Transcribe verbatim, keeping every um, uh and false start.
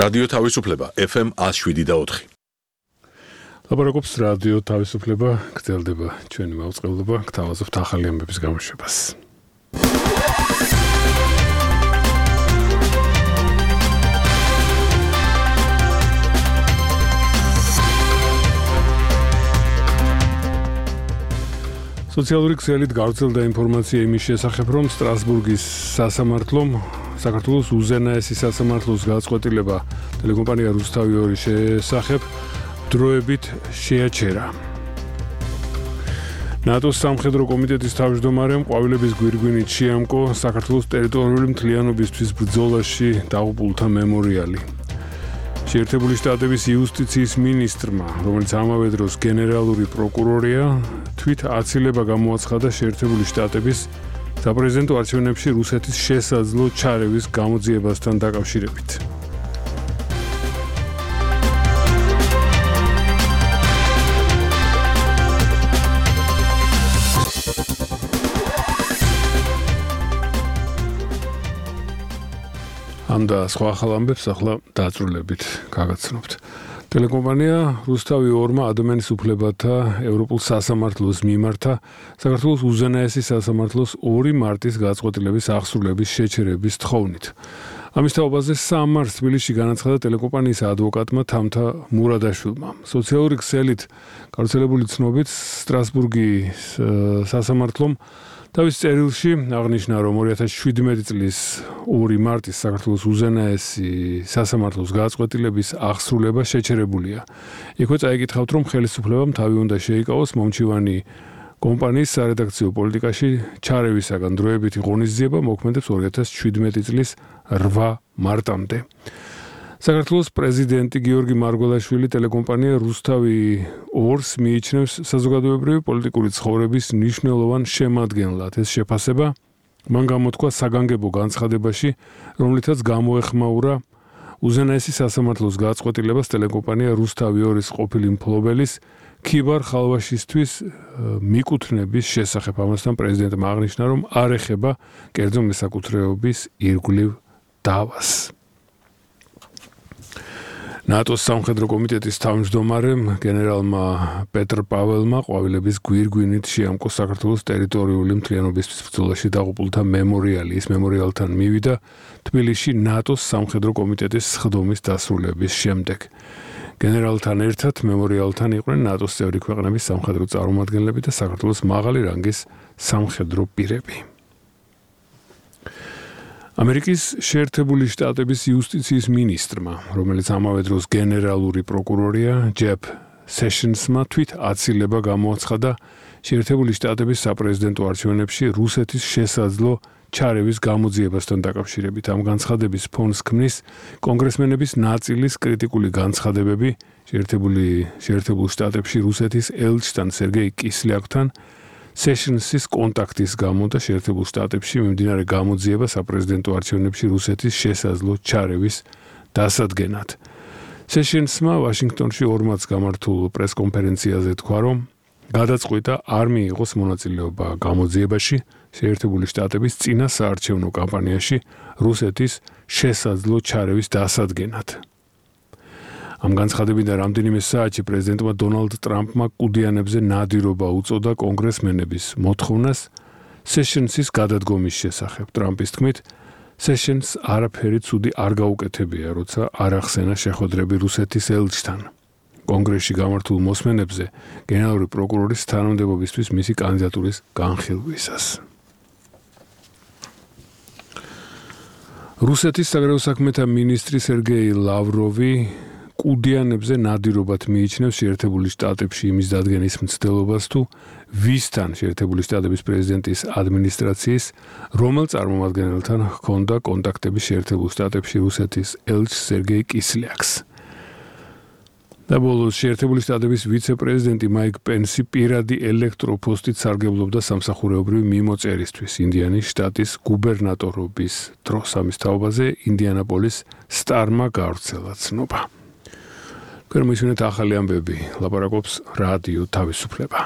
რადიო თავისუფლება F M one oh seven და four. ლაპარაკობს რადიო თავისუფლება, გრძელდება ჩვენი მაუწყებლობა, გთავაზობთ ახალი ამბების გამოშვებას. სოციალური ქსელით გავრცელდა ინფორმაცია იმის შესახებ, რომ სტრასბურგის სასამართლომ საქართველოს უზენაესი სასამართლოს გაწყვეტილება ტელეკომპანია რუსთავი ორი შესახებ დროებით შეაჩერა. ნატოს სამხედრო კომიტეტის თავმჯდომარემ ყვავილების გვირგვინით შეამკო საქართველოს ტერიტორიული მთლიანობისთვის ბრძოლაში დაღუპულთა მემორიალი. შეერთებული შტატების იუსტიციის მინისტრმა, რომელიც ამავე დროს გენერალური პროკურორია, თვით აცილება გამოაცხადა შეერთებული შტატების საპრეზიდენტო არჩევნებში რუსეთის შესაძლო ჩარევის გამოძიებასთან დაკავშირებით. ამ და სხვა ახალ ამბებს ახლა დაწვრილებით გაგაცნობთ. ტელეკომპანია რუსთავი ორმა ადამიანის უფლებათა ევროპულ სასამართლოს მიმართა საქართველოს უზენაესი სასამართლოს ორი მარტის გაწყვეტილების აღსრულების შეჩერების თხოვნით. ამის თაობაზე სამარს თბილისში განაცხადა ტელეკომპანიის ადვოკატმა თამთა მურადაშვილმა. სოციალური ქსელით გავრცელებული ცნობით სტრასბურგის სასამართლომ თავის წერილში აღნიშნა, რომ ორი ათას შვიდმეტი წლის ორი მარტის საქართველოს უზენაესი სასამართლოს გაწყვეტილების აღსრულება შეჩერებულია. იქვე წაიკითხავთ, რომ ხელისუფლებამ თავი უნდა შეიკავოს მომჩივანი კომპანიის სარედაქციო პოლიტიკაში ჩარევისაგან დროებითი ღონისძიება მოქმედებს ორი ათას შვიდმეტი წლის რვა მარტამდე. საქართველოს პრეზიდენტი გიორგი მარგველაშვილი ტელეკომპანია რუსთავი ორს მიიჩნევს საზოგადოებრივი პოლიტიკური ცხოვრების მნიშვნელოვან შემადგენლად. ეს შეფასება მან გამოთქვა საგანგებო განცხადებაში, რომლითაც გამოეხმაურა უზენაესი სასამართლოს გაწყვეტილებას ტელეკომპანია რუსთავი ორის ყოფილი მფლობელის ქიბარ ხალვაშისთვის მიკუთვნების შესახებ. ამასთან პრეზიდენტმა აღნიშნა, რომ არ ეხება კერძო მესაკუთრეობის ირგვლივ დავას. ნატოს სამხედრო კომიტეტის თავმჯდომარემ გენერალმა პეტრ პაველმა ყვავილების გვირგვინით შეამკო საქართველოს ტერიტორიული მთლიანობისთვის ბრძოლაში დაღუპულთა მემორიალი. ის მემორიალთან მივიდა თბილისში ნატოს სამხედრო კომიტეტის სხდომის დასრულების შემდეგ. გენერალთან ერთად მემორიალთან იყვნენ ნატოს წევრი ქვეყნების სამხედრო წარმომადგენლები და საქართველოს მაღალი რანგის სამხედრო პირები. ამერიკის შეერთებული შტატების იუსტიციის მინისტრმა, რომელიც ამავე დროს გენერალური პროკურორია, ჯეფ სეშენსმა თვით აცილება გამოაცხადა შეერთებული შტატების საპრეზიდენტო არჩევნებში რუსეთის შესაძლო ჩარევის გამოძიებასთან დაკავშირებით. ამ განცხადების ფონს ქმნის კონგრესმენების ნაწილის კრიტიკული განცხადებები შეერთებული შეერთებულ შტატებში რუსეთის ელჩთან სერგეი კისლიაკთან სეშენსის კონტაქტის გამო და შეერთებულ შტატებში მიმდინარე გამოძიება საპრეზიდენტო არჩევნებში რუსეთის შესაძლო ჩარევის დასადგენად. სეშენსმა ვაშინგტონში ორმაც გამართულ პრესკონფერენციაზე თქვა, რომ გადაწყვიტა არ მიიღოს მონაწილეობა გამოძიებაში შეერთებული შტატების წინა საარჩევნო კამპანიაში რუსეთის შესაძლო ჩარევის დასადგენად. ამ განცხადებიდან რამდენიმე საათში პრეზიდენტმა დონალდ ტრამპმა კუდიანებზე ნადირობა უწოდა კონგრესმენების მოთხოვნას სეშენსის გადადგომის შესახებ. ტრამპის თქმით, სეშენს არაფერი ცუდი არ გაუკეთებია, როცა არ ახსენა შეხვედრები რუსეთის ელჩთან. კონგრესში გამართულ მოსმენებზე გენერალური პროკურორის თანამდებობისთვის მისი კანდიდატურის განხილვისას. რუსეთის საგარეო საქმეთა მინისტრი სერგეი ლავროვი კუდიანებზე ნადირობად მიიჩნევს შეერთებული შტატებში იმის დადგენის მცდელობას, თუ ვისთან შეერთებული შტატების პრეზიდენტის ადმინისტრაციის რომელ წარმომადგენელთან ჰქონდა კონტაქტები შეერთებულ შტატებში რუსეთის ელჩ სერგეი კისლიაკს. და ბოლოს შეერთებული შტატების ვიცე-პრეზიდენტი მაიკ პენსი პირადი ელექტროპოსტით სარგებლობდა სამსახურეობრივი მიმოწერისთვის ინდიანის შტატის გუბერნატორობის დროს. ამის თაობაზე ინდიანაპოლის სტარმა გავრცელა ცნობა. Permisiunea ta ახალი ამბები ლაპარაკობს რადიო თავისუფლება.